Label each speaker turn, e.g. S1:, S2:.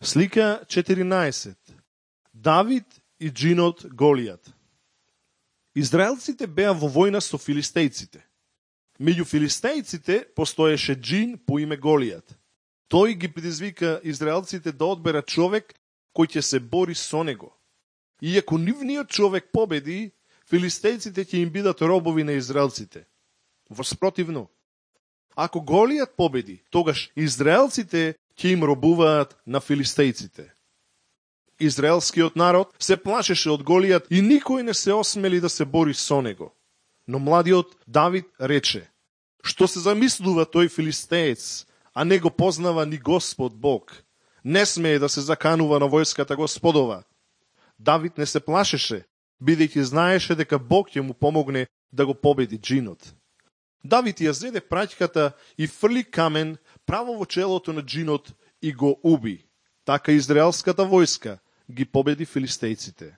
S1: Слика 14. Давид и джинот Голијат. Израелците беа во војна со филистејците. Меѓу филистејците постоеше джин по име Голијат. Тој ги предизвика израелците да одберат човек кој ќе се бори со него. Иако нивниот човек победи, филистејците ќе им бидат робови на израелците. Воспротивно, ако Голијат победи, тогаш израелците ќе им робуваат на филистејците. Израелскиот народ се плашеше од Голијат и никој не се осмели да се бори со него. Но младиот Давид рече: што се замислува тој филистеец, а не го познава ни Господ Бог? Не смее да се заканува на војската Господова. Давид не се плашеше, бидејќи знаеше дека Бог ќе му помогне да го победи джинот. Давид ја зеде праќката и фрли камен право во челото на джинот и го уби. Така израелската војска ги победи филистејците.